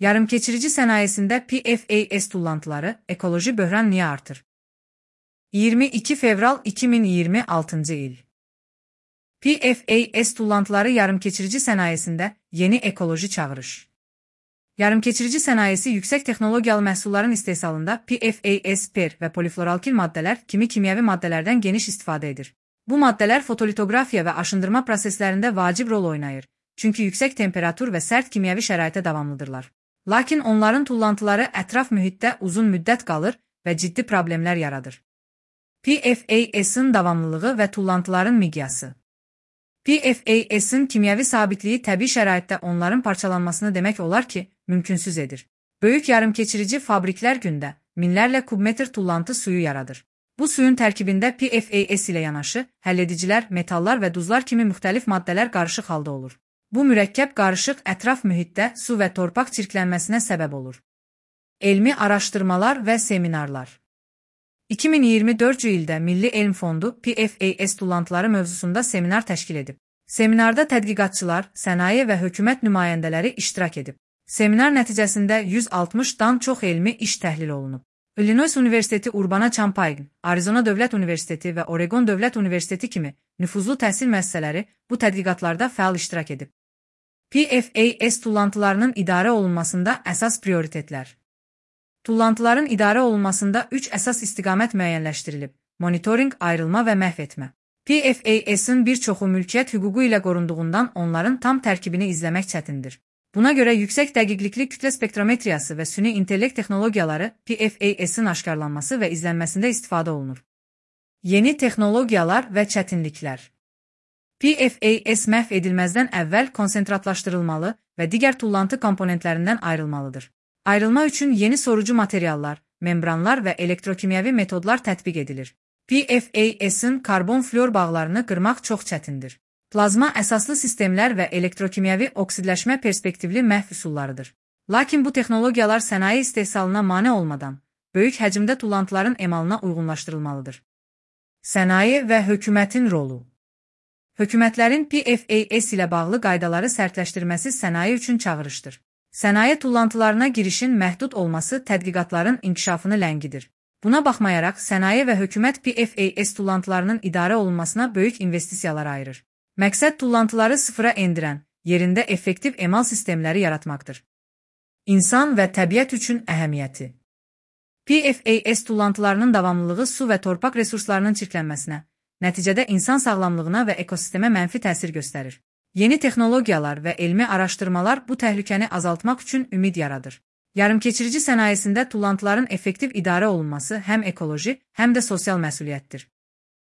Yarımkeçirici sənayesində PFAS tullantıları, ekoloji böhran niyə artır? 22 fevral 2026 il. PFAS tullantıları yarımkeçirici sənayesində yeni ekoloji çağırış. Yarımkeçirici sənayesi yüksək texnologiyalı məhsulların istehsalında PFAS, PER və polifloralkil maddələr kimi kimyəvi maddələrdən geniş istifadə edir. Bu maddələr fotolitografiya və aşındırma proseslərində vacib rol oynayır, çünki yüksək temperatur və sərt kimyəvi şəraitə davamlıdırlar. Lakin onların tullantıları ətraf mühitdə uzun müddət qalır və ciddi problemlər yaradır. PFAS-ın davamlılığı və tullantıların miqyası. PFAS-ın kimyəvi sabitliyi təbii şəraitdə onların parçalanmasını demək olar ki, mümkünsüz edir. Böyük yarımkeçirici fabriklər gündə minlərlə kubmetr tullantı suyu yaradır. Bu suyun tərkibində PFAS ilə yanaşı, həlledicilər, metallar və duzlar kimi müxtəlif maddələr qarışıq halda olur. Bu mürəkkəb qarışıq ətraf mühitdə su və torpaq çirklənməsinə səbəb olur. Elmi araşdırmalar və seminarlar. 2024 ildə Milli Elm Fondu PFAS tullantıları mövzusunda seminar təşkil edib. Seminarda tədqiqatçılar, sənaye və hökumət nümayəndələri iştirak edib. Seminar nəticəsində 160-dan çox elmi iş təhlil olunub. Illinois Universiteti Urbana-Champaign, Arizona Dövlət Universiteti və Oregon Dövlət Universiteti kimi nüfuzlu təhsil müəssisələri bu tədqiqatlarda fəal iştirak edib. PFAS tullantılarının idarə olunmasında əsas prioritetlər. Tullantıların idarə olunmasında 3 əsas istiqamət müəyyənləşdirilib: monitoring, ayrılma və məhv etmə. PFAS-ın bir çoxu mülkiyyət hüququ ilə qorunduğundan onların tam tərkibini izləmək çətindir. Buna görə yüksək dəqiqlikli kütlə spektrometriyası və süni intellekt texnologiyaları PFAS-ın aşkarlanması və izlənməsində istifadə olunur. Yeni texnologiyalar və çətinliklər. PFAS məhv edilməzdən əvvəl konsentratlaşdırılmalı və digər tullantı komponentlərindən ayrılmalıdır. Ayrılma üçün yeni sorucu materiallar, membranlar və elektrokimyəvi metodlar tətbiq edilir. PFAS-ın karbon-flor bağlarını qırmaq çox çətindir. Plazma əsaslı sistemlər və elektrokimyəvi oksidləşmə perspektivli məhv üsullarıdır. Lakin bu texnologiyalar sənaye istehsalına mane olmadan, böyük həcmdə tullantıların emalına uyğunlaşdırılmalıdır. Sənaye və hökumətin rolu. Hökumətlərin PFAS ilə bağlı qaydaları sərtləşdirməsi sənaye üçün çağırışdır. Sənaye tullantılarına girişin məhdud olması tədqiqatların inkişafını ləngidir. Buna baxmayaraq, sənaye və hökumət PFAS tullantılarının idarə olunmasına böyük investisiyalar ayırır. Məqsəd tullantıları sıfıra endirən, yerində effektiv emal sistemləri yaratmaqdır. İnsan və təbiət üçün əhəmiyyəti. PFAS tullantılarının davamlılığı su və torpaq resurslarının çirklənməsinə, nəticədə insan sağlamlığına və ekosistemə mənfi təsir göstərir. Yeni texnologiyalar və elmi araşdırmalar bu təhlükəni azaltmaq üçün ümid yaradır. Yarımkeçirici sənayesində tullantıların effektiv idarə olunması həm ekoloji, həm də sosial məsuliyyətdir.